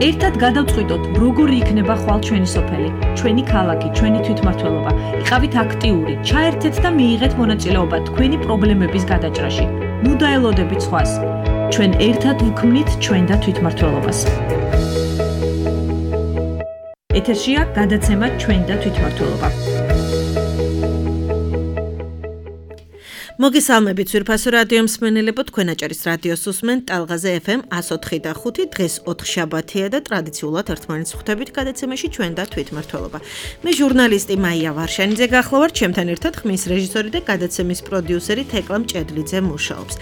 ერთად გადავწყვიტოთ, როგორი იქნება ხვალ ჩვენი სოფელი, ჩვენი ქალაქი, ჩვენი თვითმმართველობა. იყავით აქტიური, ჩაერთეთ და მიიღეთ მონაწილეობა თქვენი პრობლემების გადაჭრაში. ნუ დაელოდებით სხვას. ჩვენ ერთად ვქმნით ჩვენ და თვითმმართველობას. ეთერშია გადაცემა ჩვენ და თვითმმართველობა. მოგესალმებით ვირფასო რადიო მსმენელებო, თქვენ აჭარის რადიოს უსმენთ ტალღაზე FM 104.5 დღეს 4 შაბათია და ტრადიციულად ერთმანეთს ხვდებით გადაცემაში ჩვენ და თვითმმართველობა. მე ჟურნალისტი მაია ვარშანიძე გახლავართ, ჩემთან ერთად ხმის რეჟისორი და გადაცემის პროდიუსერი თეკლა მჭედლიძე მუშაობს.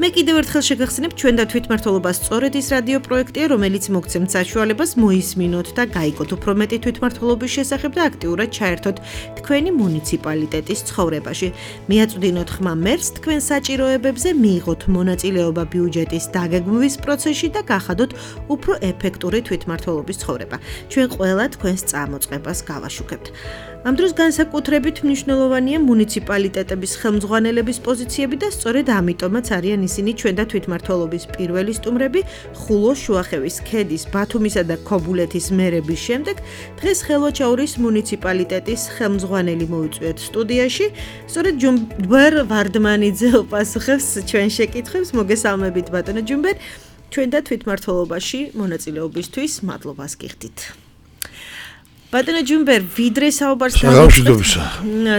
მე კიდევ ერთხელ შეგახსენებ, ჩვენ და თვითმმართველობა სწორედ ის რადიო პროექტია, რომელიც მოგცემთ საშუალებას მოისმინოთ და გაიგოთ უფრო მეტი თვითმმართველობის შესახებ და აქტიურად ჩაერთოთ თქვენი მუნიციპალიტეტის ცხოვრებაში. მიაწვდინოთ ხმა მერს თქვენ საჭიროებებზე, მიიღოთ მონაწილეობა ბიუჯეტის დაგეგმვის პროცესში და გახადოთ უფრო ეფექტური თვითმმართველობის ცხოვრება. ჩვენ ყველა თქვენს წამოწყებას გავაშუქებთ. ამ დროს განსაკუთრებით მნიშვნელოვანია მუნიციპალიტეტების ხელმძღვანელების პოზიციები და სწორედ ამიტომაც არიან ისინი ჩვენ და თვითმმართველობის პირველი სტუმრები ხულოს, შუახევის ქედის, ბათუმისა და ქობულეთის მერების შემდეგ დღეს ხელვაჩაურის მუნიციპალიტეტის ხელმძღვანელი მოიწვიეთ სტუდიაში. სწორედ ჯუმბერ ვარდმანიძე უპასუხებს ჩვენ შეკითხვებს. მოგესალმებით ბატონო ჯუმბერ, ჩვენ და თვითმმართველობაში მონაწილეობისთვის მადლობას გიხდით. ბატონო ჯუმბერ, ვიდრე საუბარს გავუშვებთ.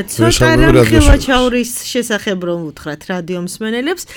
ცოტა რამ ხელვაჩაურის შესახებ რომ უთხრათ რადიო მსმენელებს.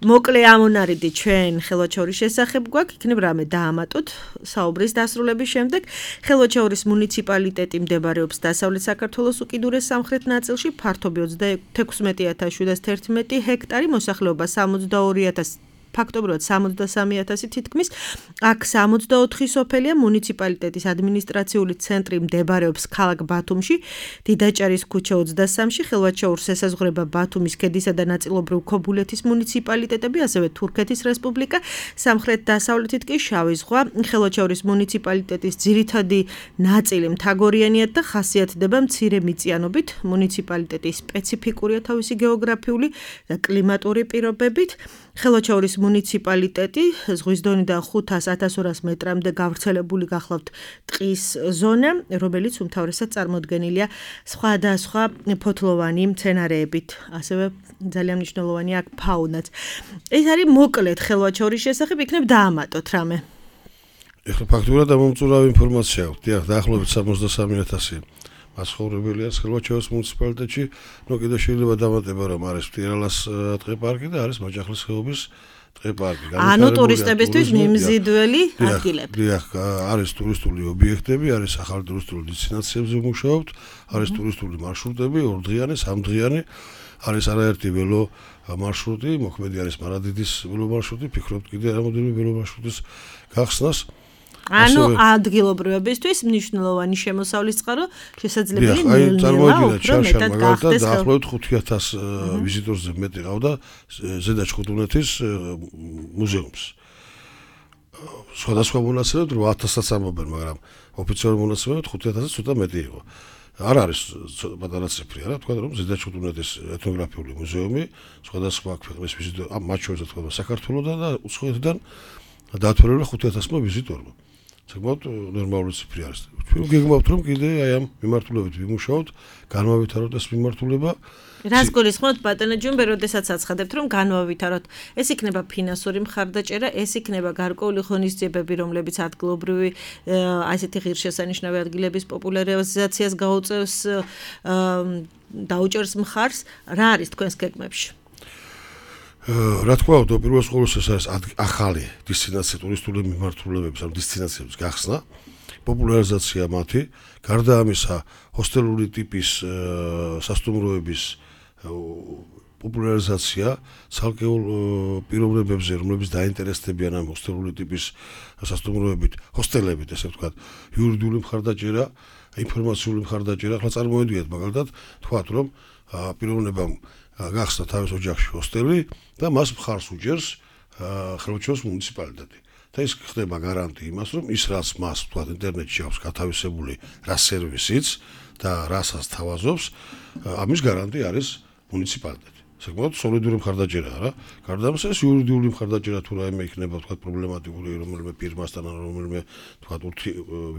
მოკლე ამონარიდი ჩვენ ხელვაჩაურის შესახებ გვაქვს, იქნებ რამე დაამატოთ საუბრის დასრულების შემდეგ. ხელვაჩაურის მუნიციპალიტეტი მდებარეობს დასავლეთ საქართველოს უკიდურეს სამხრეთ ნაწილში, ფართობი 26,711 ჰექტარი, მოსახლეობა 62,000 ფაქტობრივად 63,000 თითქმის. აქ 64 სოფელია. მუნიციპალიტეტის ადმინისტრაციული ცენტრი მდებარეობს ქალაქ ბათუმში, დიდაჭარის ქუჩა 23-ში. ხელვაჩაურს ესაზღვრება ბათუმის ქედისა და ნაწილობრივ ქობულეთის მუნიციპალიტეტები, ასევე თურქეთის რესპუბლიკა. სამხრეთ-დასავლეთით კი შავი ზღვა. ხელვაჩაურის მუნიციპალიტეტის ძირითადი ნაწილი მთაგორიანია და ხასიათდება მცირე მიწიანობით. მუნიციპალიტეტი სპეციფიკურია თავისი გეოგრაფიული და კლიმატური პირობებით. ხელვაჩაურის მუნიციპალიტეტი ზღვის დონიდან 500-1200 მეტრამდე გავრცელებული გახლავთ ტყის ზონა, რომელიც უმთავრესად წარმოდგენილია სხვადასხვა ფოთლოვანი მცენარეებით. ასევე ძალიან მნიშვნელოვანია აქ ფაუნაც. ეს არის მოკლედ ხელვაჩაურის შესახებ, იქნებ დაამატოთ რამე. ეხლა ფაქტურად ამომწურავი ინფორმაცია აქვს. დიახ, დაახლოებით 63,000 მაცხოვრებელია ხელვაჩაურის მუნიციპალიტეტში. კიდე შეიძლება დამატება, რომ არის მტირალას ტყეპარკი და არის მაჯახლის ხეობის ტყეპარკი. ანუ ტურისტებისთვის მიმზიდველი ადგილები. დიახ, არის ტურისტული ობიექტები, არის ახალი ტურისტული დესტინაციებზე მუშაობთ, არის ტურისტული მარშრუტები, 2დღიანი, 3დღიანი, არის არაერთი ველო მარშრუტი, მოქმედი არის მარადიდის ველო მარშრუტი, ფიქრობთ კიდე რამოდენიმე ველო მარშრუტის გახსნას. ანუ ადგილობრივებისთვის მნიშვნელოვანი შემოსავლის წყარო შესაძლებელი ნელ-ნელა უფრო მეტად გახდეს. დაახლოებით 5,000 ვიზიტორზე მეტი ყავდა ზედა ჩხუტუნეთის მუზეუმს. სხვადასხვა მონაცემებით 8,000-აც ამბობენ, მაგრამ ოფიციალური მონაცემებით 5,000-ზე ცოტა მეტი იყო. არ არის პატარა ციფრი, არა, თქვა რომ ზედა ჩხუტუნეთის ეთნოგრაფიული მუზეუმი სხვადასხვა ქვეყნის ვიზიტორ, მათ შორის თქვა საქართველოსთან და უცხოეთიდან დაათვალიერა 5,000-მა ვიზიტორმა. საკმაოდ ნორმალური ციფრი არის. ჩვენ გეგმავთ რომ კიდე აი ამ მიმართულებით ვიმუშაოთ, განვავითაროთ ეს მიმართულება. რას გულისხმობთ ბატონო ჯუმბერ, როდესაც აცხადებთ რომ განვავითაროთ? ეს იქნება ფინანსური მხარდაჭერა, ეს იქნება გარკვეული ღონისძიებები, რომლებიც ადგილობრივი ასეთი ღირსშესანიშნავი ადგილების პოპულარიზაციას გაუწევს, დაუჭერს მხარს. რა არის თქვენს გეგმებში? რა თქვა, პირველ ყოვლისა ეს არის ახალი დესტინაცია ტურისტული მიმართულებების, ანუ დესტინაციების გახსნა, პოპულარიზაცია მათი, გარდა ამისა, ჰოსტელური ტიპის სასტუმროების პოპულარიზაცია ცალკეულ პიროვნებებზე, რომლებიც დაინტერესდებიან ამ ჰოსტელური ტიპის სასტუმროებით, ჰოსტელებით, ესე ვთქვათ, იურიდიული მხარდაჭერა, ინფორმაციული მხარდაჭერა. ახლა წარმოვიდგინეთ მაგალითად, თქვათ რომ პიროვნებამ გახსნა თავის ოჯახში ჰოსტელი და მას მხარს უჭერს ხელვაჩაურის მუნიციპალიტეტი. და ის ხდება გარანტი იმას, რომ ის რაც მას თქვათ ინტერნეტში აქვს გათავისებული რა სერვისიც და რასაც თავაზობს, ამის გარანტი არის მუნიციპალიტეტი. საკმაოდ სოლიდური მხარდაჭერაა რა. გარდა ამისა ეს იურიდიული მხარდაჭერა თუ რაიმე იქნება თქვა პრობლემატიკური რომელიმე ფირმასთან ან რომელიმე თქვა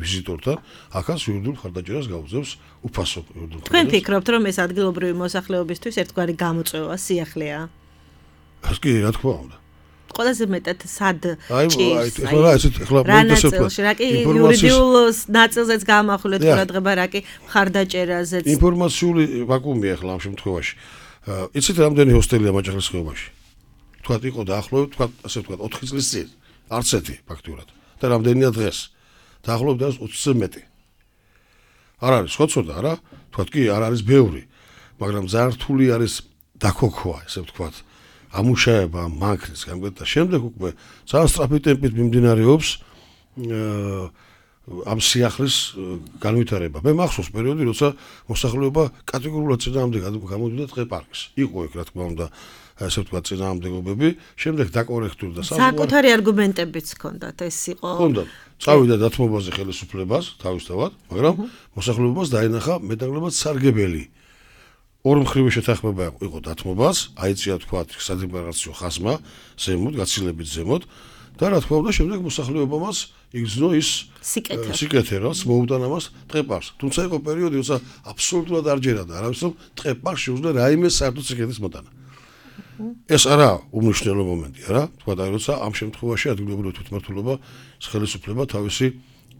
ვიზიტორთან, ახაც იურიდიულ მხარდაჭერას გაუძლებს უფასო იურიდიულ. თქვენ ფიქრობთ რომ ეს ადგილობრივი მოსახლეობისთვის ერთგვარი გამოწვევა სიახლეა? ეს კი რა თქმა უნდა. ყველაზე მეტად სად ჭირს? ახლა რა კი იურიდიულ ნაწილზეც გამახვილეთ ყურადღება, რა კი მხარდაჭერაზეც. ინფორმაციული ვაკუუმია ახლა ამ შემთხვევაში. იცით რამდენი ჰოსტელია მაჭახლის ხეობაში? თქვათ იყო დაახლოებით, თქვათ ასე ვთქვათ 4 წლის წინ. არც ერთი ფაქტიურად. და რამდენია დღეს? დაახლოებით 20-ზე მეტი. არ არის ხოცოდა რა? თქვათ კი არ არის ბევრი, მაგრამ ძალიან რთული არის დაქოქვა, ესე ვთქვათ. ამუშავება მანქანის გამგედა შემდეგ უკვე ძალიან სწრაფი ტემპით მიმდინარეობს ამ სიახლის განვითარება. მე მახსოვს პერიოდი, როცა მოსახლეობა კატეგორიულად წინააღმდეგ გამოდიოდა ტყე-პარკს. იყო ეგ რა თქმა უნდა, ასე ვთქვათ წინააღმდეგობები, შემდეგ დაკორექტურდა საკუთარი არგუმენტებიც ჰქონდათ, ეს იყო. ჰქონდათ. წავიდა დათმობაზე ხელისუფლებას თავისთავად, მაგრამ მოსახლეობას დაენახა მეტნაკლებად სარგებელი. ორ მხრივ შეთანხმება იყო დათმობას, აიწია თქვათ სადემოკრატიო ხაზმა, ზემოთ, გაცილებით ზემოთ და რა თქმა უნდა შემდეგ მოსახლეობამაც იგრძნო ის სიკეთე, რაც მოუტანა მას ტყე-პარკს. თუმცა იყო პერიოდი, როცა აბსოლუტურად არ ჯერადა არავის რომ ტყე-პარკს შეუძლია რაიმე საერთო სიკეთის მოტანა. ეს არა უმნიშვნელო მომენტია რა, თქვა და როცა ამ შემთხვევაში ადგილობრივი თვითმმართველობა ხელისუფლება თავისი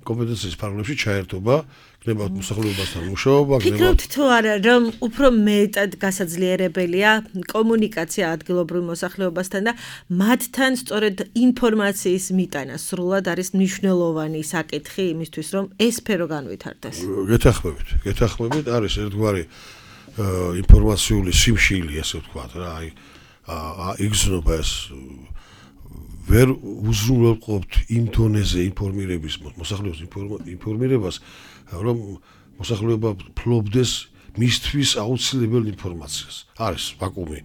კომპეტენციის ფარგლებში ჩაერთობა, გნებავთ მოსახლეობასთან მუშაობა, ფიქრობთ თუ არა, რომ უფრო მეტად გასაძლიერებელია კომუნიკაცია ადგილობრივ მოსახლეობასთან და მათთან სწორედ ინფორმაციის მიტანა სრულად არის მნიშვნელოვანი საკითხი იმისთვის, რომ ეს სფერო განვითარდეს. გეთანხმებით, არის ერთგვარი ინფორმაციული სიმშილი, ასე ვთქვათ რა, იგრძნობა ეს ვერ უზრუნველყოფთ იმ დონეზე ინფორმირების მოსახლეობის ინფორმირებას, რომ მოსახლეობა ფლობდეს მისთვის აუცილებელ ინფორმაციას. არის ვაკუუმი.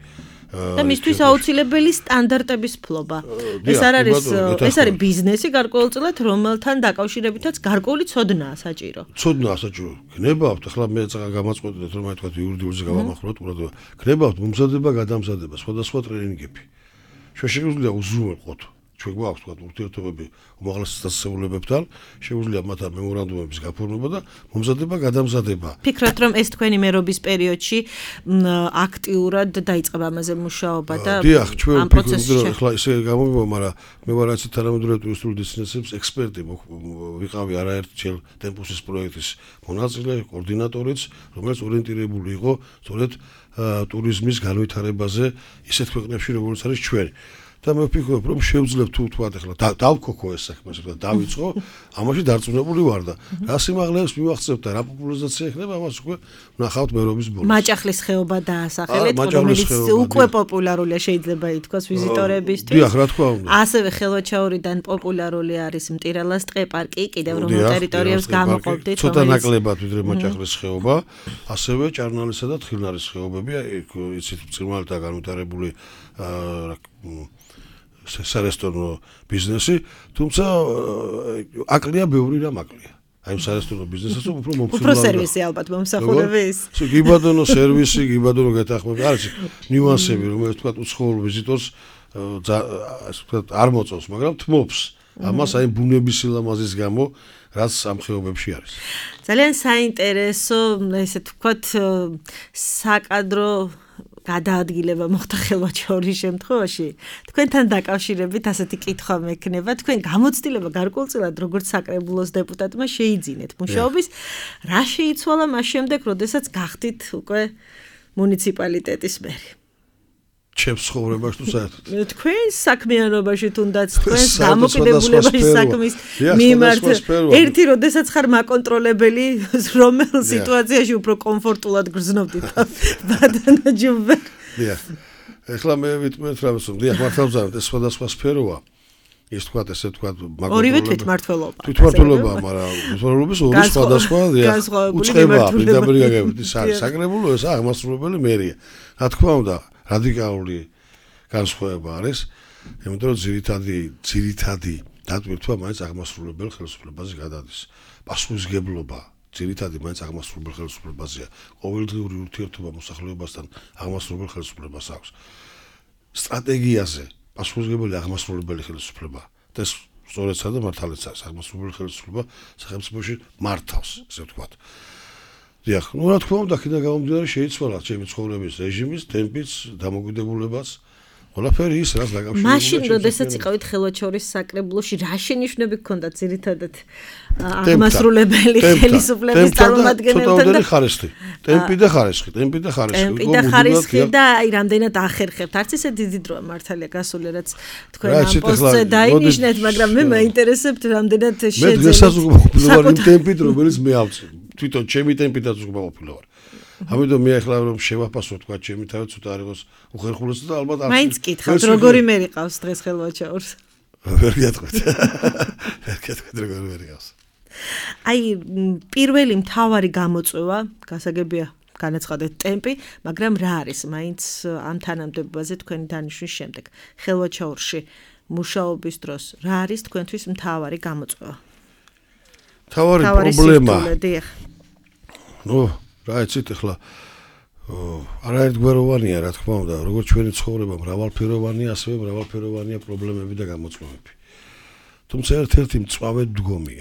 და მისთვის აუცილებელი სტანდარტების ფლობა. ეს არ არის, ეს არის ბიზნესი გარკვეულწილად, რომელთან დაკავშირებითაც გარკვეული ცოდნაა საჭირო. გნებავთ, ახლა მე გამაწყვეტეთ რომ თქვა იურიდიულზე გავამახვილოთ, ყურადღება. გნებავთ მომზადება, გადამზადება, სხვადასხვა ტრენინგები. შეგვიძლია უზრუნველყოთ. ჩვენ გვაქვს თქვა ურთიერთობები უმაღლეს დასწავლებებთან, შეგვიძლია მათთან მემორანდუმების გაფორმება და მომზადება, გადამზადება. ფიქრობთ რომ ეს თქვენი მერობის პერიოდში აქტიურად დაიწყება ამაზე მუშაობა და დიახ, ჩვენ ფიქრობთ ახლა ისე გამომივა, მაგრამ მე ვარ ასე თანამედროვე ტურისტული დესტინაციების ექსპერტი, ვიყავი არაერთჯერ ტემპუსის პროექტის მონაწილე, კოორდინატორიც, რომელიც ორიენტირებული იყო სწორედ ტურიზმის განვითარებაზე ისეთ ქვეყნებში, როგორც არის ჩვენი. და მე ვფიქრობ, რომ შევძლებთ თუ თქვა ახლა დავქოქო ეს საქმე, ასე ვთქვათ, დავიწყო, ამაში დარწმუნებული ვარ და რა სიმაღლეებს მივახცევთ და რა პოპულარიზაცია იქნება, ამას უკვე ვნახავთ მერობის ბოლოს. მაჭახლის ხეობა დაასახელეთ, რომელიც უკვე პოპულარულია შეიძლება ითქვას ვიზიტორებისთვის. დიახ, რა თქმა უნდა. ასევე ხელვაჩაურიდან პოპულარული არის მტირალას ტყე-პარკი, კიდევ რომელ ტერიტორიებს გამოყოფდით, ცოტა ნაკლებად ვიდრე მაჭახლის ხეობა, ასევე ჭარნალისა და თხილნარის ხეობები, იცით, ბრწყინვალეთა განვითარებული სარესტორნო ბიზნესი, თუმცა აკლია ბევრი რამ აკლია. აი ამ სარესტორნო ბიზნესსაც უფრო მომხმარებელია. უფრო სერვისი ალბათ მომსახურების. გიბადონო სერვისი, გიბადონო გეთანხმება, არის ნიუანსები, რომელიც თქვა უცხოურ ვიზიტორს ასე ვთქვათ არ მოწონს, მაგრამ თმობს. ამას აი ბუნების სილამაზის გამო, რაც ამ ხეობებში არის. ძალიან საინტერესო, ესე ვთქვათ, საკადრო გადაადგილება მოხდა ხელვაჩაურის შემთხვევაში. თქვენთან დაკავშირებით ასეთი კითხვა მექნება, თქვენ გამოცდილება გარკვეულწილად როგორც საკრებულოს დეპუტატმა შეიძინეთ მუშაობის, რა შეიცვალა მას შემდეგ, როდესაც გახდით უკვე მუნიციპალიტეტის მერი? ჩემს ცხოვრებაში თუ საერთოდ. თქვენს საქმიანობაში თუნდაც თქვენს დამოკიდებულებაში საქმის მიმართ ერთი როდესაც ხარ მაკონტროლებელი, რომელ სიტუაციაში უფრო კომფორტულად გრძნობდით ბადანაჯუბე. დიახ. ეხლა მე ვიტყვით რა მოსულ. დიახ, მართალზავთ ეს სხვადასხვა სფეროა. ის თქვათ ესე თქვათ ორივე თვითმართველობა. თვითმართველობა, მაგრამ თვითმართველობის ორი სხვადასხვა უწყება, პირდაპირ გაგებით. ის არის საკრებულო, ეს აღმასრულებელი მერია. რა თქმა უნდა, რადიკალური განსხვავება არის, იმიტომ რომ ძირითადი დატვირთვა მაინც აღმასრულებელ ხელისუფლებაზე გადადის. პასუხისმგებლობა ძირითადი მაინც აღმასრულებელ ხელისუფლებაზეა. ყოველდღიური ურთიერთობა მოსახლეობასთან აღმასრულებელ ხელისუფლებას აქვს. სტრატეგიაზე პასუხისმგებელი აღმასრულებელი ხელისუფლება და ეს სწორედ სადა მართალიც არის აღმასრულებელი ხელისუფლება სახელმწიფოში მართავს, ესე ვთქვათ. დიახ, რა თქმა უნდა, კიდე გამომდინარე შეიცვალა ჩემი ცხოვრების რეჟიმის, ტემპიც, დამოუკიდებულებაც. ყველაფერი ის რაც დაკავშირებულია. მაშინ, როდესაც იყავით ხელვაჩორის საკრებულოში, რა შენიშვნები გქონდათ ძირითადად აღმასრულებელი ხელისუფლების წარმომადგენელთან და ხარისხი. ტემპი და ხარისხი. და აი რამდენად ახერხებთ. არც ისე დიდი დროა მართალია გასული, რაც თქვენ ამ პოსტზე დაინიშნეთ, მაგრამ მე მაინტერესებთ რამდენად შეძენით. მე დღესაც უკვე ვარ იმ ტემპით, რომელიც მე ავწევ. თვითონ ჩემი ტემპითაც უკვე ყოფილა ვარ. ამიტომ მე ახლა რომ შევაფასო თქვა ჩემი თავი ცოტა არ იყოს უხერხულესი და ალბათ არ მაინც კითხავთ როგორი მე რიყავს დღეს ხელვაჩაურს ვერ გეტყვით როგორი მე რიყავს აი პირველი მთავარი გამოწვევა გასაგებია განაცხადეთ ტემპი მაგრამ რა არის მაინც ამ თანამდებობაზე თქვენი დანიშვნის შემდეგ ხელვაჩაურში მუშაობის დროს რა არის თქვენთვის მთავარი გამოწვევა მთავარი პრობლემა ნუ რა იცით ახლა არაერთგვაროვანია რა თქმა უნდა როგორც ჩვენი ცხოვრება მრავალფეროვანია ასევე მრავალფეროვანია პრობლემები და გამოწვევები თუმცა ერთ-ერთი მწვავე დგომი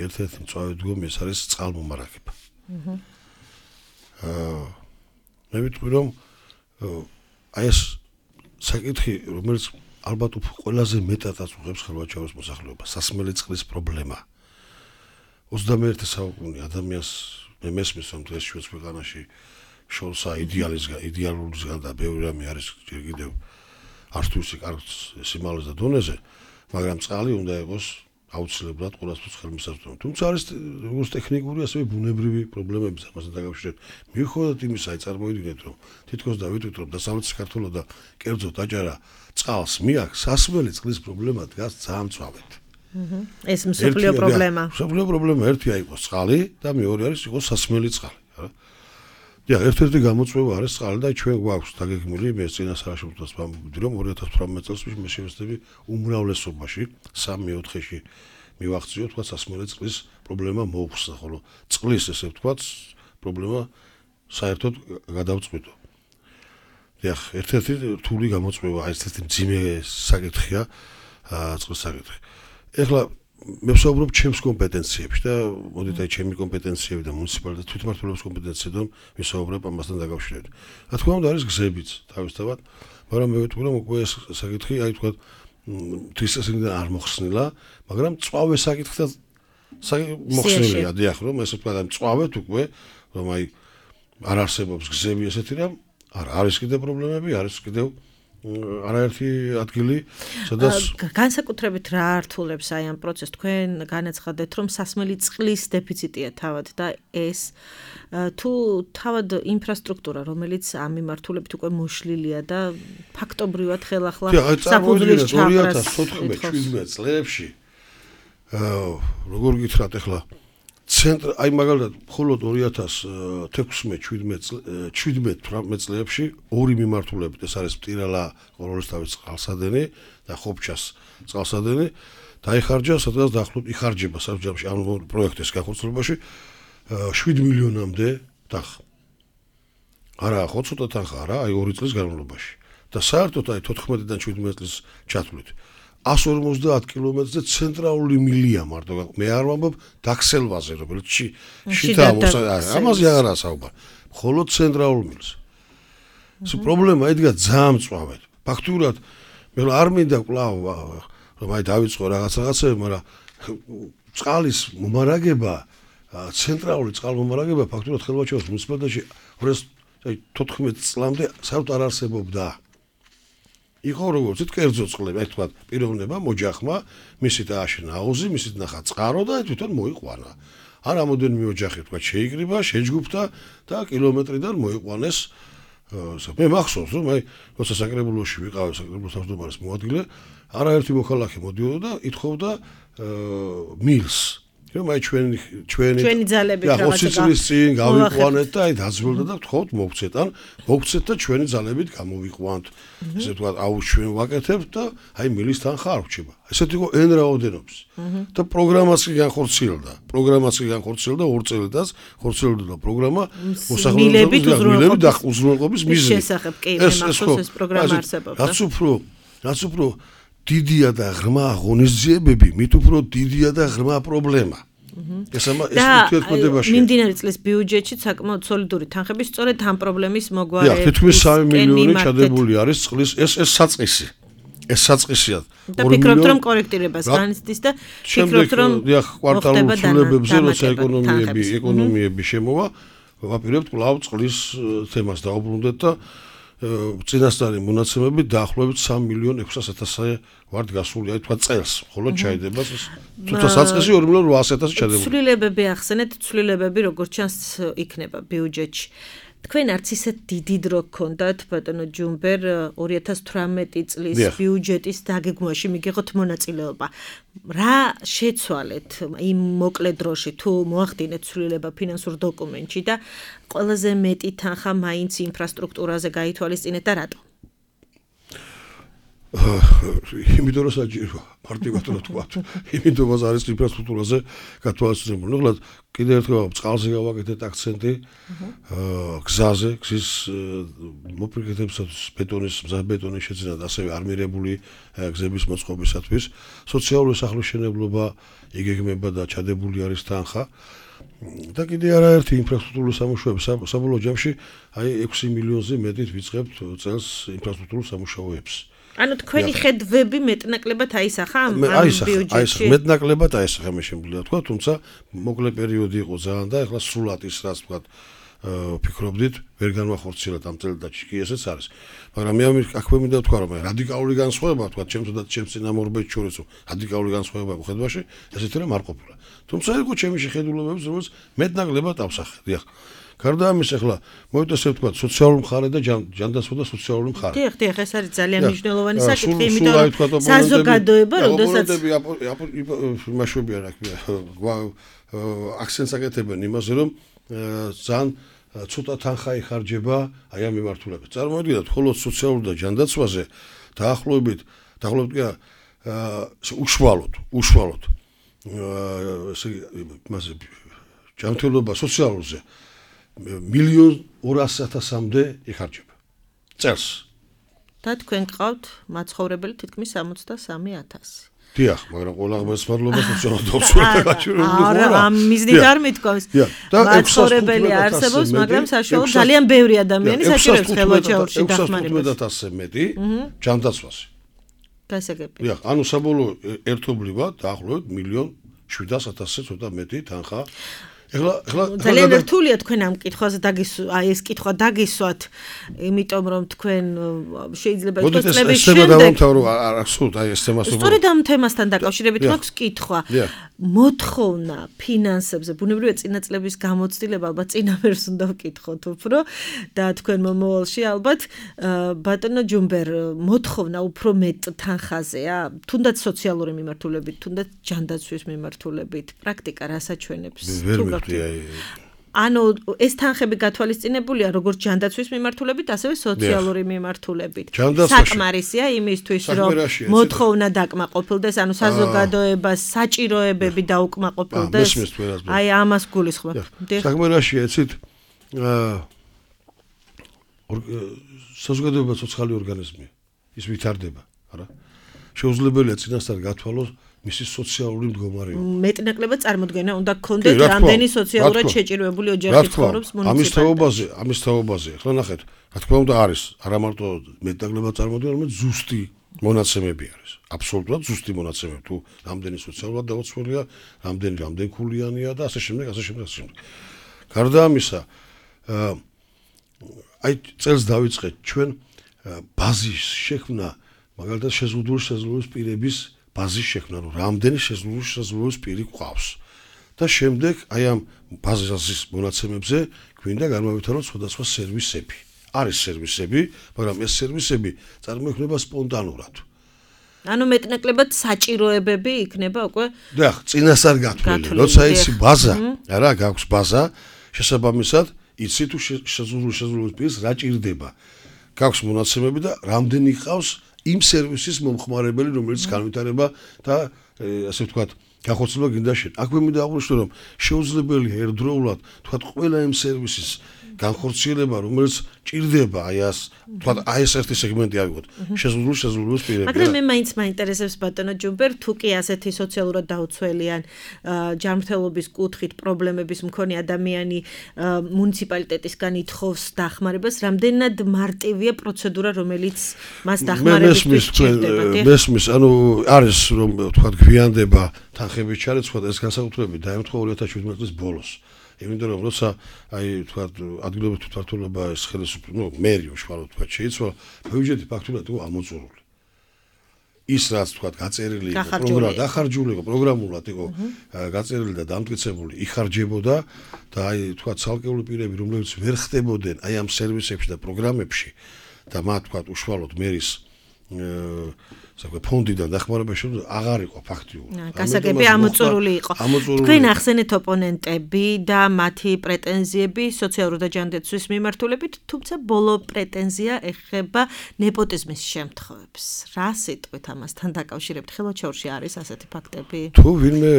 ეს არის წყალმომარაგება მე ვიტყვი რომ აი ეს საკითხი რომელიც ალბათ ყველაზე მეტად აწუხებს ხელვაჩაურის მოსახლეობას სასმელი წყლის პრობლემა 21 საუკუნე ადამიანს მე მესმის რომ დღეს ჩვენს ქვეყანაში შორსა იდეალურისგან და ბევრი რამე არის ჯერ კიდევ არც თუ ისე კარგ სიმაღლეზე და დონეზე მაგრამ წყალი უნდა იყოს აუცილებლად ყველასთვის ხელმისაწვდომი თუმცა არის როგორც ტექნიკური ასევე ბუნებრივი პრობლემები ამასთან დაკავშირებით მიუხედავად იმისა აი წარმოიდგინეთ რომ თითქოს დავიტყვით რომ დასავლეთ საქართველოს და კერძოდ აჭარა წყალს მიაქვს სასმელი წყლის პრობლემა დგას ძალიან მწვავედ ეს მსოფლიო პრობლემა. მსოფლიო პრობლემა ერთია იყოს წყალი და მეორე არის იყოს სასმელი წყალი, რა. დიახ, ერთ-ერთი გამოწვევა არის წყალი და ჩვენ გვაქვს დაგეგმილი მე წინასწარ ვამბობდი რომ 2018 წელს მე შევეცდები უმრავლესობაში 3/4-ში მივახციო თქვა სასმელი წყლის პრობლემა მოუხსნა, ხოლო წყლის ესე ვთქვათ პრობლემა საერთოდ გადავწყვიტო. დიახ, ერთ-ერთი რთული გამოწვევა, ერთ-ერთი მძიმე საკითხია წყლის საკითხი. ეხლა მე ვსაუბრობ ჩემს კომპეტენციებში და მოდით აი ჩემი კომპეტენციები და მუნიციპალიტეტის თვითმმართველობის კომპეტენციებიდან ვისაუბრებ ამასთან დაკავშირებით. რა თქმა უნდა არის გზებიც თავისთავად, მაგრამ მე ვიტყვი რომ უკვე ეს საკითხი აი თქვა თვისწესრიგიდან არ მოხსნილა, მაგრამ წვავე საკითხთან მოხსნილია, დიახ, რომ ესე ვთქვა და წვავეთ უკვე რომ აი არ არსებობს გზები ესეთი რამ, არ არის კიდე პრობლემები, არის კიდევ არაერთი ადგილი, სადაც განსაკუთრებით რა ართულებს აი ამ პროცესს თქვენ განაცხადეთ რომ სასმელი წყლის დეფიციტია თავად და ეს თუ თავად ინფრასტრუქტურა რომელიც ამ მიმართულებით უკვე მოშლილია და ფაქტობრივად ხელახლა საფუძვლის ჩაყრას 2014-17 წლებში როგორ გითხრათ ახლა ცენტრ აი მაგალითად მხოლოდ 2016-17 წლებში ორი მიმართულებით ეს არის მტირალა ყოროლისთავის წყალსადენი და ხობჩას წყალსადენი დაიხარჯა სადღაც დაახლოებით იხარჯება საბჭოში ამ პროექტის განხორციელებაში 7 მილიონამდე თანხა არა ხო ცოტა თანხა არა აი 2 წლის განმავლობაში და საერთოდ აი 14-დან 17 წლის ჩათვლით 150 კილომეტრზე ცენტრალური მილია მარტო მე არ ვამბობ დაქსელვაზე რომელიც შითა ამაზე აღარა საუბარი მხოლოდ ცენტრალურ მილს ეს პრობლემა იდგა ძალიან მწვავედ ფაქტურად მე არ მინდა კვლავ რომ აი დავიწყო რაღაცები მაგრამ წყალის მომარაგება ცენტრალური წყალმომარაგება ფაქტურად ხელვაჩაურის მუნიციპალიტეტში 2014 წლამდე საერთოდ არ არსებობდა იყო როგორც კერძო წყლები, აი თქვა პიროვნება, მოჯახმა, მისით ააშენა აუზი, მისით ნახა წყარო და თვითონ მოიყვანა. არ რამოდენიმე ოჯახი თქვა შეიკრიბა, შეჯგუფდა და კილომეტრიდან მოიყვანეს. მე მახსოვს რომ აი როცა საკრებულოში ვიყავ, საკრებულოს თავმჯდომარის მოადგილე, არაერთი მოქალაქე მოდიოდა და ითხოვდა მილს. რომ აი ჩვენი ძალებით რაღაცა 20 წლის წინ გავიყვანეთ და აი დაძველდა და ვთხოვთ მოგცეთ ან მოგცეთ და ჩვენი ძალებით გამოვიყვანთ ესე ვთქვათ აუ ჩვენ ვაკეთებთ და აი მილის თანხა არ ვრჩება ესეთი იყო n რაოდენობის და პროგრამაც კი განხორციელდა 2 წელიწადს ხორციელდა პროგრამა მოსახლეობის უზრუნველყოფის მიზნით შესახებ კი მახსოვს ეს პროგრამა არსებობდა რაც უფრო დიდია და ღრმა ღონისძიებები მით უფრო დიდია და ღრმა პრობლემა ეს ურთიერთქმედებაში მიმდინარე წლის ბიუჯეტში საკმაოდ სოლიდური თანხები სწორედ ამ პრობლემის მოგვარებით თითქმის 3 მილიონი ჩადებული არის წყლის ეს საწყისი ეს საწყისია და ფიქრობთ რომ კორექტირებას განიცდის და ფიქრობთ რომ კვარტალურ ცვლილებებზე როცა ეკონომიები შემოვა ვაპირებთ კვლავ წყლის თემას დაუბრუნდეთ და წინასწარი მონაცემები დაახლოებით 3.600.000 ვართ გასული აი თქვა წელს ხოლო ჩაიდება თუმცა საწყისი 2.800.000 ჩადებული ცვლილებები ახსენეთ ცვლილებები როგორც ჩანს იქნება ბიუჯეტში თქვენ არც ისეთ დიდი დრო გქონდათ ბატონო ჯუმბერ 2018 წლის ბიუჯეტის დაგეგმვაში მიგიღოთ მონაწილეობა რა შეცვალეთ იმ მოკლე დროში თუ მოახდინეთ ცვლილება ფინანსურ დოკუმენტში და ყველაზე მეტი თანხა მაინც ინფრასტრუქტურაზე გაითვალისწინეთ და რატო იმიტომ რომ საჭიროა მარტივად რა თქვა იმიტომ რომ არის ინფრასტრუქტურაზე გათვალისწინებული ნუ კიდევ ერთხელ წყალზე გავაკეთეთ აქცენტი გზაზე გზის მოპირკეთებისათვის ბეტონის მზაბეტონის შეძენა და ასევე არმირებული გზების მოწყობისათვის სოციალური სახლმშენებლობა იგეგმება და ჩადებული არის თანხა და კიდე არაერთი ინფრასტრუქტურული სამუშაოები საბოლოო ჯამში აი 6 მილიონზე მეტით ვიწყებთ წელს ინფრასტრუქტურულ სამუშაოებს ანუ თქვენი ხედვები მეტნაკლებად აისახა ამ ბიუჯეტში მეტნაკლებად აისახა მე შემიძლია თქვა თუმცა მოკლე პერიოდი იყო ძალიან და ეხლა სრულად ის რაც თქვა ფიქრობდით ვერ განვახორციელოთ ამ წელიწადში კი ესეც არის მაგრამ მე აქვე მინდა ვთქვა რომ რადიკალური განსხვავება თქვა ჩემს და ჩემს წინამორბედს შორის რადიკალური განსხვავება ხედვაში ესეთი რამ არ ყოფილა თუმცა იყო ჩემი შეხედულებებს რომელიც მეტნაკლებად ავსახე დიახ გარდა ამის ახლა მოვიტესებ თქვა სოციალური მხარე და ჯანდაცვა და სოციალური მხარე. დიახ, ეს არის ძალიან მნიშვნელოვანი საკითხი, იმიტომ რომ საზოგადოება, როდესაც იმაშვებიან აქცენტს აკეთებენ იმაზე, რომ ძალიან ცოტა თანხა იხარჯება აი ამ მიმართულებით. წარმოიდგინეთ, მხოლოდ სოციალურ და ჯანდაცვაზე დაახლოებით უშუალოდ მასე ჯანმრთელობა სოციალურზე 1.200.000-მდე იხარჯება წელს. და თქვენ გყავთ მაცხოვრებელი თითქმის 63,000. დიახ, მაგრამ ყველა ღმერთს მადლობა სოციალურ გაჩვენებული ხო არა? ამ მიზნით არ მithქვავს. მაცხოვრებელი არსებობს, მაგრამ საშუალო ძალიან ბევრი ადამიანი საჭიროებს ხელვაჩაურში დახმარებას. 15,000-ზე მეტი ჯანდაცვაზე. გასაგები. დიახ, ანუ საბოლოო ერთობლივად დაახლოებით 1.700.000-ზე ცოტა მეტი თანხა ეხლა ძალიან რთულია თქვენ ამ კითხვაზე ეს კითხვა დაგისვათ, იმიტომ რომ თქვენ შეიძლება იყოს წლების შემდეგ. სწორედ ამ თემასთან დაკავშირებით მაქვს კითხვა. მოთხოვნა ფინანსებზე, ბუნებრივია წინა წლების გამოცდილება ალბათ წინამერს უნდა ვკითხოთ უფრო და თქვენ მომავალში ალბათ ბატონო ჯუმბერ მოთხოვნა უფრო მეტ თანხაზეა, თუნდაც სოციალური მიმართულებით, თუნდაც ჯანდაცვის მიმართულებით, პრაქტიკა რას აჩვენებს? ანუ ეს თანხები გათვალისწინებულია როგორც ჯანდაცვის მიმართულებით, ასევე სოციალური მიმართულებით. საკმარისია იმისთვის, რომ მოთხოვნა დაკმაყოფილდეს, ანუ საზოგადოებას საჭიროებები დაუკმაყოფილდეს. აი ამას გულისხმობ. საკმარისია, იცით, საზოგადოება ცოცხალი ორგანიზმია. ის ვითარდება, არა? შეუძლებელია წინასწარ გათვალოს მისი სოციალური მდგომარეობა. მეტნაკლებად წარმოდგენა უნდა გქონდეთ რამდენი სოციალურად შეჭირვებული ოჯახი ცხოვრობს მუნიციპალიტეტში. ამის თაობაზე. ახლა ნახეთ, რა თქმა უნდა არის, არა მარტო მეტნაკლებად წარმოდგენა, არამედ ზუსტი მონაცემები არის. აბსოლუტურად ზუსტი მონაცემები. თუ რამდენი სოციალურად დაუცველია, რამდენი ქულიანია და ასე შემდეგ. გარდა ამისა, აი წელს დავიწყეთ ჩვენ ბაზის შექმნა, მაგალითად შეზღუდული პირების ბაზის შექმნა, რომ რამდენი შეზღუდული პირი გვყავს. და შემდეგ აი ამ ბაზის მონაცემებზე გვინდა განმავითაროთ სხვადასხვა სერვისები. არის სერვისები, მაგრამ ეს სერვისები წარმოიქმნება სპონტანურად. ანუ მეტნაკლებად საჭიროებები იქნება უკვე დიახ, წინასწარ გათვლილი. როცა ისი ბაზა, არა, გაქვს ბაზა, შესაბამისად, იცი თუ შეზღუდული პირს რა ჭირდება. გაქვს მონაცემები და რამდენი ყავს იმ სერვისის მომხმარებელი, რომელიც განვითარება და ასე ვთქვათ, განხორციელება გინდა შენ. აქვე მინდა აღვნიშნო, რომ შეუძლებელია ერთდროულად, ვთქვათ, ყველა იმ სერვისის განხორციელება, რომელიც ჭირდება, ვთქვათ, ეს ერთი სეგმენტი ავიღოთ. შეზღუდული პირები. მაგრამ მე მაინც მაინტერესებს ბატონო ჯუმბერ, თუ კი ასეთი სოციალურად დაუცველიან ჯანმრთელობის კუთხით პრობლემების მქონე ადამიანი მუნიციპალიტეტისგან ითხოვს დახმარებას, რამდენად მარტივია პროცედურა, რომელიც მას დახმარებისთვის ჭირდება. მესმის, ანუ არის რომ ვთქვათ, გვიანდება თანხების ჩარეცვა და ეს განსაკუთრებით დაემთხვა 2017 წლის ბოლოს. იმიტომ რომ როცა ვთქვათ, ადგილობრივი თვითმმართველობა ეს ხელისუფლება, მერი უშუალოდ ვთქვათ, შეიცვალა, ბიუჯეტი ფაქტურად იყო ამოწურული. ის რაც ვთქვათ, გაწერილი იყო პროგრამა, დახარჯული იყო პროგრამულად იყო გაწერილი და დამტკიცებული, იხარჯებოდა და ვთქვათ, ცალკეული პირები, რომლებიც ვერ ხდებოდნენ ამ სერვისებში და პროგრამებში და მათ ვთქვათ, უშუალოდ მერის ფონდიდან დახმარებაში აღარ იყო ფაქტიურად. გასაგები ამოწურული იყო. თქვენ ახსენეთ ოპონენტები და მათი პრეტენზიები სოციალური და ჯანდაცვის მიმართულებით, თუმცა ბოლო პრეტენზია ეხება ნეპოტიზმის შემთხვევებს. რა სიტყვით ამასთან დაკავშირებთ? ხელოჩაურში არის ასეთი ფაქტები? თუ ვინმე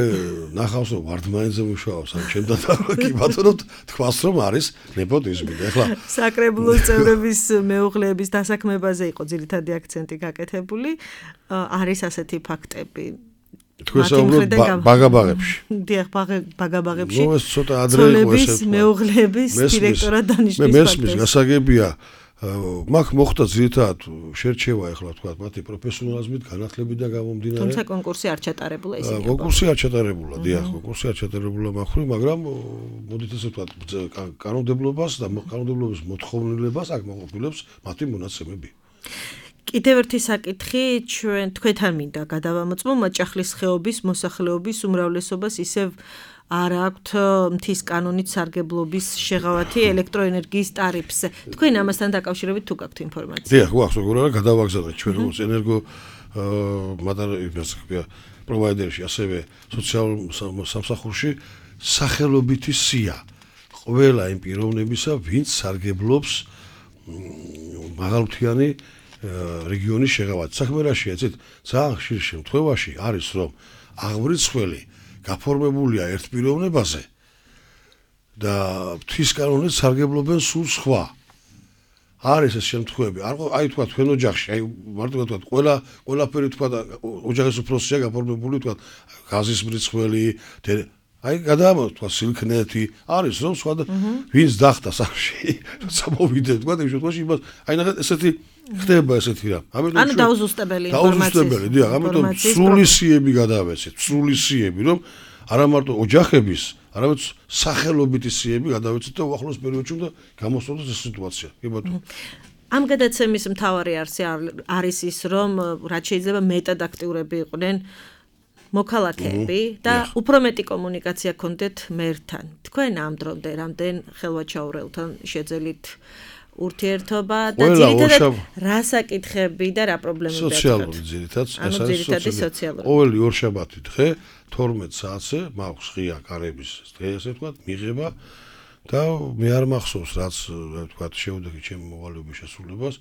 ნახავს რომ ვარდმაინზე მუშაობს, ან ჩემთან კი ბატონო თქვას რომ არის ნეპოტიზმი. ეხლა საკრებულოს წევრების მეუღლეების დასაქმებაზე იყო ძირითადი აქცენტი გაკეთებული. არის ასეთი ფაქტები. თქვენ საუბრობთ ბაგაბაღებში. დიახ, ბაგაბაღებში. ნუ ეს ცოტა ადრე იყო ესე. მეუღლეების დირექტორად დანიშნვის ფაქტი. მე მესმის გასაგებია, მაგ მოხდა ძირითადად შერჩევა ახლა თქვა მათი პროფესიონალიზმით, განათლებიდან გამომდინარე. თუმცა კონკურსი არ ჩატარებულა ისე. კონკურსი არ ჩატარებულა, დიახ, კონკურსი არ ჩატარებულა მახური, მაგრამ მოდით ესე ვთქვათ, კანონმდებლობას და კანონმდებლობის მოთხოვნილებას აქ მოყოლებს მათი მონაცემები. კიდევ ერთი საკითხი თქვენთან მინდა გადავამოწმო მაჭახლის ხეობის მოსახლეობის უმრავლესობას ისევ არ აქვთ მთის კანონით სარგებლობის შეღავათი ელექტროენერგიის ტარიფზე. თქვენ ამასთან დაკავშირებით თუ გაქვთ ინფორმაცია? დიახ, გვაქვს როგორ გადავაგზავნეთ ჩვენ როგორც ენერგო პროვაიდერში, ასევე სოციალურ სამსახურში სახელობითი სია ყველა იმ პიროვნებისა, ვინც სარგებლობს მაღალმთიანი რეგიონის შეღავათით. საქმე რაშია, იცით, ძალიან ხშირ შემთხვევაში არის რომ აღმრიცხველი გაფორმებულია ერთ პიროვნებაზე და მთის კანონით სარგებლობენ სულ სხვა. არის ეს შემთხვევები. აი თქვა თქვენ ოჯახში, აი მარტო თქვა ყველაფერი თქვა ოჯახის უფროსია გაფორმებული თქვა გაზის მრიცხველი, აი გადაამოწ თქვა სილქნეთი, არის რომ სხვა ვინც დახტა სახში, როცა მოვიდე თქვა იმ შემთხვევაში იმას აი ნახეთ ესეთი ხდება ესეთი რა. ანუ დაუზუსტებელი ინფორმაცია. დაუზუსტებელი, დიახ, ამიტომ სრული სიები გადავეცეთ, სრული სიები, რომ არა მარტო ოჯახების, არამედ სახელობითი სიები გადავეცეთ და უახლოს პერიოდში უნდა გამოსწორდეს ეს სიტუაცია. კი ბატონო. ამ გადაცემის მთავარი არსი არის ის, რომ რაც შეიძლება მეტად აქტიურები იყვნენ მოქალაქეები და უფრო მეტი კომუნიკაცია გქონდეთ მერთან. თქვენ ამ დრომდე რამდენ ხელვაჩაურელთან შეძელით ურთიერთობა და ძირითადად რა საკითხები და რა პრობლემები გაქვთ? სოციალური ძირითადად, ეს არის სოციალური. ყოველი ორშაბათი დღე 12 საათზე მაქვს ღია კარების დღე, ასე ვთქვათ, მიღება და მე არ მახსოვს რაც ვთქვათ შეუდექი ჩემი მოვალეობის შესრულებას,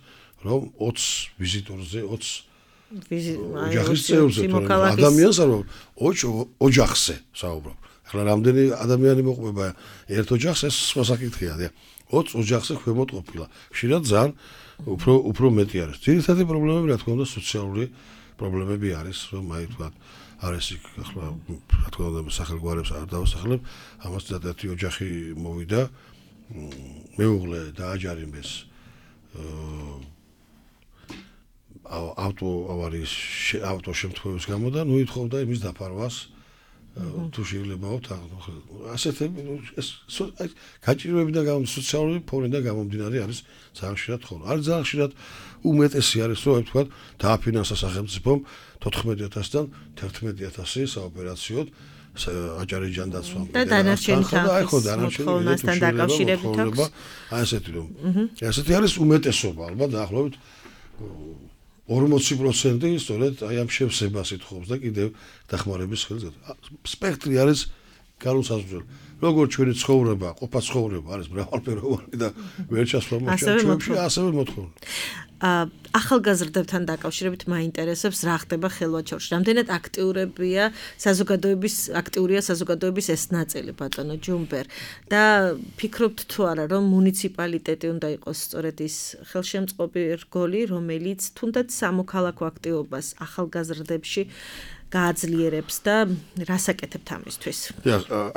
რომ 20 ვიზიტორზე 20 ოჯახის წევრზე ადამიანს არ ოჯახზე საუბრობ. ახლა რამდენი ადამიანი მოყვება ერთ ოჯახს, ეს სხვა საკითხია, დიახ. 20 ოჯახზე ქვემოთ ყოფილა. ხშირად ძალიან უფრო მეტი არის. ძირითადი პრობლემები რა თქმა უნდა სოციალური პრობლემები არის, რომ აი თქვა არის ახლა რა თქმა უნდა სახელგვარებს არ დავასახლებ, ამას ერთ ოჯახი მოვიდა, მეუღლე დააჯარიმეს ავტო შემთხვევის გამო და ნუ ითხოვდა იმის დაფარვას თუ შეიძლებაო ასეთები გაჭირვებიდან სოციალური ფონიდან გამომდინარე არის ძალიან ხშირად ხოლმე. არის ძალიან ხშირად უმეტესი არის რომ ვთქვა დააფინანსა სახელმწიფომ 14,000-დან 11,000 საოპერაციოდ აჭარი ჯანდაცვამ და დანარჩენი თანხმობასთან დაკავშირებით აქვს. აი ესეთი რომ ესეთი არის უმეტესობა ალბათ დაახლოებით 40% სწორედ აი ამ შევსებას ითხოვს და კიდევ დახმარების ხელს. სპექტრი არის განუსაზღვრელი. როგორც ჩვენი ცხოვრება, ყოფა ცხოვრება არის მრავალფეროვანი და ვერ ჩასვლა ჩვენში ასევე მოთხოვნა. ახალგაზრდებთან დაკავშირებით მაინტერესებს რა ხდება ხელვაჩაურში. რამდენად აქტიურია საზოგადოების ეს ნაწილი ბატონო ჯუმბერ და ფიქრობთ თუ არა რომ მუნიციპალიტეტი უნდა იყოს სწორედ ის ხელშემწყობი რგოლი, რომელიც თუნდაც სამოქალაქო აქტივობას ახალგაზრდებში გააძლიერებს და რას აკეთებთ ამისთვის?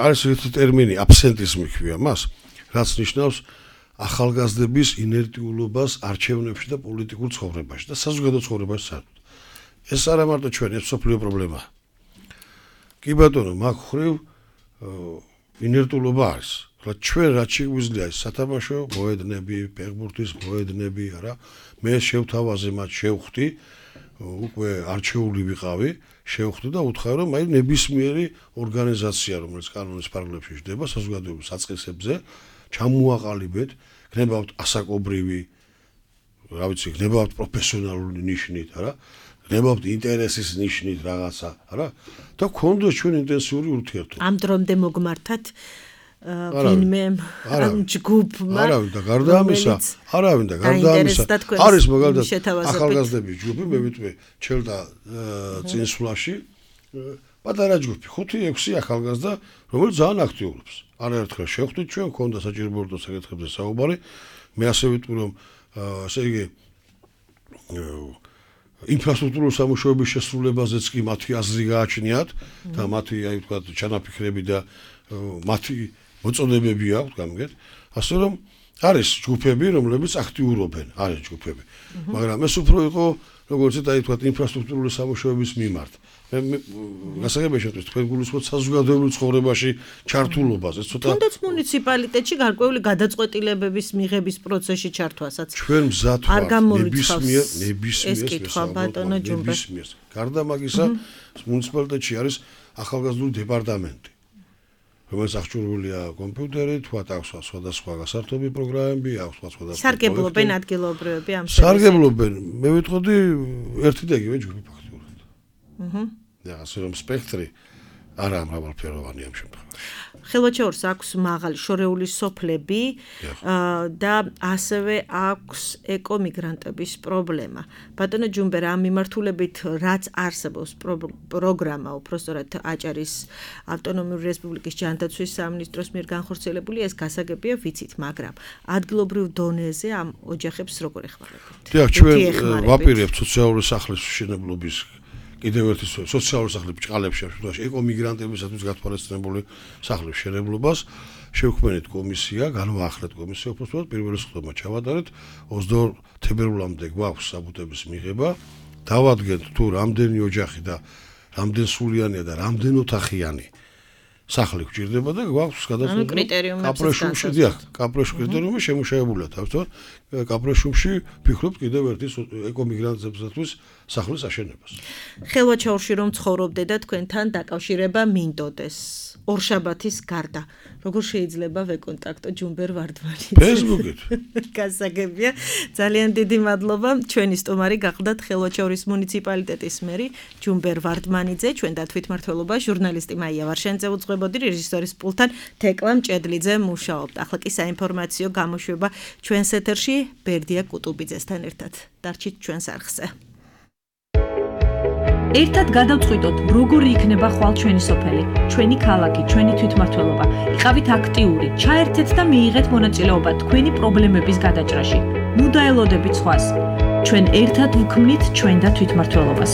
არის ერთი ტერმინი აბსენტიზმი ქვია მას, რაც ნიშნავს ახალგაზრდების ინერტიულობას არჩევნებში და პოლიტიკურ ცხოვრებაში და საზოგადო ცხოვრებაში საერთოდ. ეს არა მარტო ჩვენი სოფლიო პრობლემაა. კი ბატონო, მაგ ხრივ ინერტულობა არის. რა ჩვენ რაც შეგვიძლია სათამაშო მოედნები, ფეხბურთის მოედნები, არა, მე შევთავაზე მათ შევხვდი, უკვე არჩეული ვიყავი, შევხვდი და უთხრა რომ აი ნებისმიერი ორგანიზაცია, რომელიც კანონის ფარგლებში ჯდება საზოგადოების საწყისებზე, ჩამოაყალიბეთ, გნებავთ ასაკობრივი, რა ვიცი, გნებავთ პროფესიონალური ნიშნით, არა? გნებავთ ინტერესის ნიშნით რაღაცა, არა? და გქონდეს ჩვენ ინტენსიური ურთიერთობა. ამ დრომდე მოგმართათ ვინმე ამ ჯგუფმა არავინ და გარდა ამისა არის მაგალითად ახალგაზრდების ჯგუფი, მე ვიტყვი ჩელდა წინსვლაში პატარა ჯგუფი 5-6 ახალგაზრდა, რომელიც ძალიან აქტიურობს. არაერთხელ შევხვდით ჩვენ, ქონდა საჭიროებო საკითხებზე საუბარი. მე ასე ვიტყვი რომ ესე იგი ინფრასტრუქტურული სამუშაოების შესრულებაზეც კი მათი აზრი გააჩნიათ და მათი აი თქვა ჩანაფიქრები და მათი მოწოდებები აქვს გამიგეთ. ასე რომ არის ჯგუფები, რომლებიც აქტიურობენ, არის ჯგუფები. მაგრამ ეს უფრო იყო როგორც აი თქვა ინფრასტრუქტურული სამუშაოების მიმართ. მე გასაგებია შეტყვის თქვენ გულისხმობთ საზოგადოებრივ ცხოვრებაში ჩართულობას, ეს ცოტა თუნდაც მუნიციპალიტეტში გარკვეული გადაწყვეტილებების მიღების პროცესში ჩართვასაც ჩვენ მზად ვართ ნებისმიერ გარდა მაგისა მუნიციპალიტეტში არის ახალგაზრდული დეპარტამენტი, რომელიც აღჭურვილია კომპიუტერით, აქვს სხვადასხვა გასართობი პროგრამები, აქვს სხვადასხვა სარგებლობენ ადგილობრივები ამ სარგებლობენ, მე ვიტყოდი ერთი და იგივე ჯგუფი ფაქტურად. და ასე რომ სპექტრი არა მრავალფეროვანი ამ შემთხვევაში. ხელვაჩაურს აქვს მაღალი შორეული სოფლები და ასევე აქვს ეკომიგრანტების პრობლემა. ბატონო ჯუმბერ, ამ მიმართულებით რაც არსებობს პროგრამა, უпростоრად აჭარის ავტონომიური რესპუბლიკის ჯანდაცვის სამინისტროს მიერ განხორციელებული, ეს გასაგებია ვიცით, მაგრამ ადგილობრივ დონეზე ამ ოჯახებს როგორ ეხმარებთ? დიახ, ჩვენ ვაპირებთ სოციალური სახლის მშენებლობის კიდევ ერთი სოციალური სახლი ბჭყალებში, შემთხვევაში ეკომიგრანტებისათვის გათვალისწინებული სახლის მშენებლობას შევქმნით კომისია, განვაახლეთ კომისია, უბრალოდ პირველი სხდომა ჩავატარეთ 22 თებერვლამდე გვაქვს საბუთების მიღება, დავადგენთ თუ რამდენი ოჯახი და რამდენ სულიანია და რამდენ ოთახიანი სახლი გვჭირდება და გვაქვს გადაწყვეტილი კაპრეშუმში კრიტერიუმი შემუშავებულია თავისთავად კაპრეშუმში ფიქრობთ კიდევ ერთი ეკომიგრანტებისათვის სახლის აშენებას. ხელვაჩაურში რომ ცხოვრობდე და თქვენთან დაკავშირება მინდოდეს ორშაბათის გარდა, როგორ შეიძლება ვეკონტაქტო ჯუმბერ ვარდმანიძე? Facebook-ით. გასაგებია, ძალიან დიდი მადლობა. ჩვენი სტუმარი გახლდათ ხელვაჩაურის მუნიციპალიტეტის მერი ჯუმბერ ვარდმანიძე, ჩვენ და თვითმმართველობა ჟურნალისტი მაია ვარშენძე უძღვებოდი, რეჟისორის პულტთან თეკლა მჭედლიძე მუშაობდა. ახლა კი საინფორმაციო გამოშვება ჩვენს ეთერში ბერდია კუტუბიძესთან ერთად. დარჩით ჩვენს არხზე. ერთად გადავწყვიტოთ, როგორი იქნება ხვალ ჩვენი სოფელი, ჩვენი ქალაქი, ჩვენი თვითმმართველობა. იყავით აქტიური, ჩაერთეთ და მიიღეთ მონაწილეობა თქვენი პრობლემების გადაჭრაში. ნუ დაელოდებით სხვას. ჩვენ ერთად ვქმნით ჩვენ და თვითმმართველობას.